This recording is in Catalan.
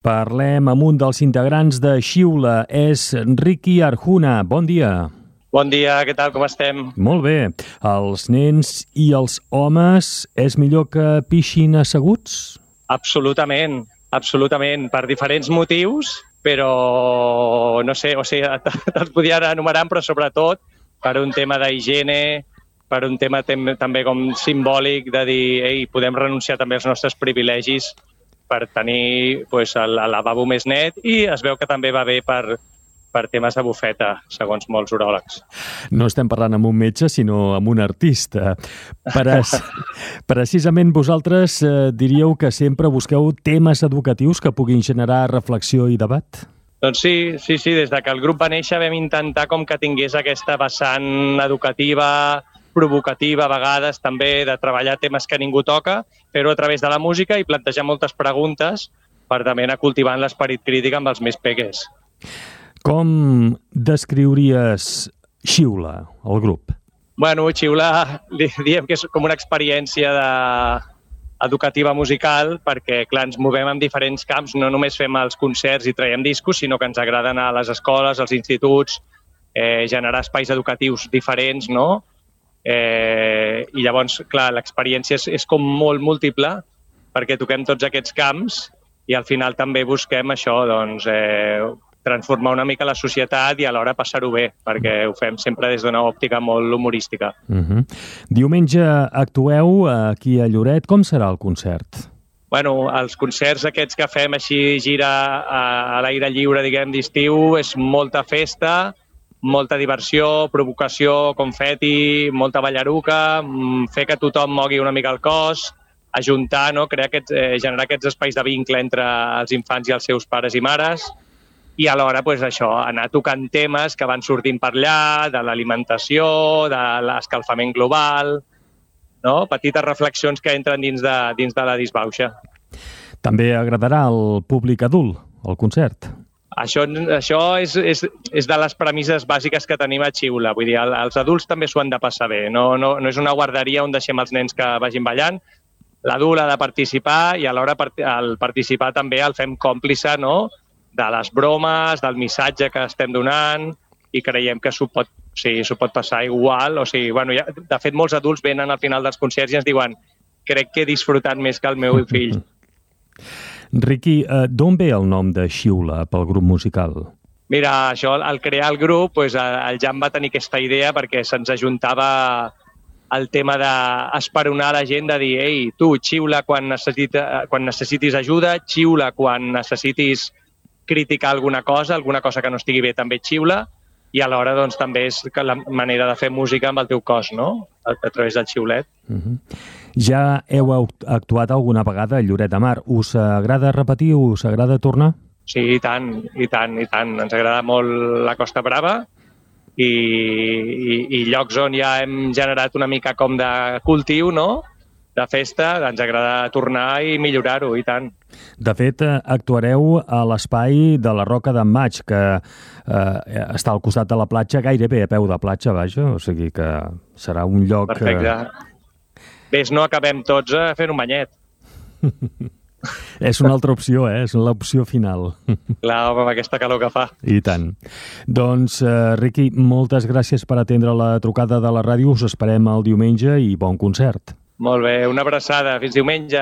Parlem amb un dels integrants de Xiula, és Ricky Arjuna. Bon dia. Bon dia, què tal, com estem? Molt bé. Els nens i els homes és millor que pixin asseguts? Absolutament, absolutament, per diferents motius, però no sé, te'ls podia anar enumerant, però sobretot per un tema d'higiene, per un tema també com simbòlic de dir, ei, podem renunciar també als nostres privilegis per tenir el lavabo més net, i es veu que també va bé per temes de bufeta, segons molts uròlegs. No estem parlant amb un metge, sinó amb un artista. Precisament vosaltres diríeu que sempre busqueu temes educatius que puguin generar reflexió i debat? Doncs sí, des de que el grup va néixer vam intentar com que tingués aquesta vessant educativa, provocativa a vegades també, de treballar temes que ningú toca, fer-ho a través de la música i plantejar moltes preguntes per també anar cultivant l'esperit crític amb els més peques. Com descriuries Xiula, el grup? Bueno, Xiula, diem que és com una experiència educativa musical, perquè, clar, ens movem en diferents camps, no només fem els concerts i traiem discos, sinó que ens agrada anar a les escoles, als instituts, generar espais educatius diferents, no? I llavors, clar, l'experiència és com molt múltiple, perquè toquem tots aquests camps i al final també busquem això, doncs, transformar una mica la societat i alhora passar-ho bé, perquè ho fem sempre des d'una òptica molt humorística. Diumenge actueu aquí a Lloret. Com serà el concert? Bueno, els concerts aquests que fem així, gira a l'aire lliure, diguem, d'estiu, és molta festa, molta diversió, provocació, confeti, molta ballaruca, fer que tothom mogui una mica el cos, ajuntar, no? Generar aquests espais de vincle entre els infants i els seus pares i mares, i alhora això, anar tocant temes que van sortint per allà, de l'alimentació, de l'escalfament global, no? Petites reflexions que entren dins de la disbauxa. També agradarà al públic adult, el concert? Això és de les premisses bàsiques que tenim a Xiula. Vull dir, els adults també s'ho han de passar bé. No és una guarderia on deixem els nens que vagin ballant. L'adult ha de participar i alhora al participar també el fem còmplice, no?, de les bromes, del missatge que estem donant, i creiem que s'ho pot passar igual. De fet, molts adults venen al final dels concerts i ens diuen crec que he disfrutat més que el meu fill. Ricky, d'on ve el nom de Xiula pel grup musical? Mira, això, al crear el grup, el Jan va tenir aquesta idea perquè se'ns ajuntava el tema d'esperonar la gent, de dir, ei, tu, xiula quan necessitis ajuda, xiula quan necessitis criticar alguna cosa que no estigui bé, també xiula, i alhora doncs, també és la manera de fer música amb el teu cos, no?, a través del xiulet. Ja heu actuat alguna vegada a Lloret de Mar. Us agrada repetir? Us agrada tornar? Sí, i tant. Ens agrada molt la Costa Brava i llocs on ja hem generat una mica com de cultiu, no?, de festa, ens agrada tornar i millorar-ho, i tant. De fet, actuareu a l'espai de la Roca d'en Maig, que està al costat de la platja, gairebé a peu de platja, vaja, o sigui que serà un lloc... Perfecte. Ves, no acabem tots fent un banyet. És una altra opció, és l'opció final. Clar, home, amb aquesta calor que fa. I tant. Doncs, Ricky, moltes gràcies per atendre la trucada de la ràdio. Us esperem el diumenge i bon concert. Molt bé, una abraçada. Fins diumenge.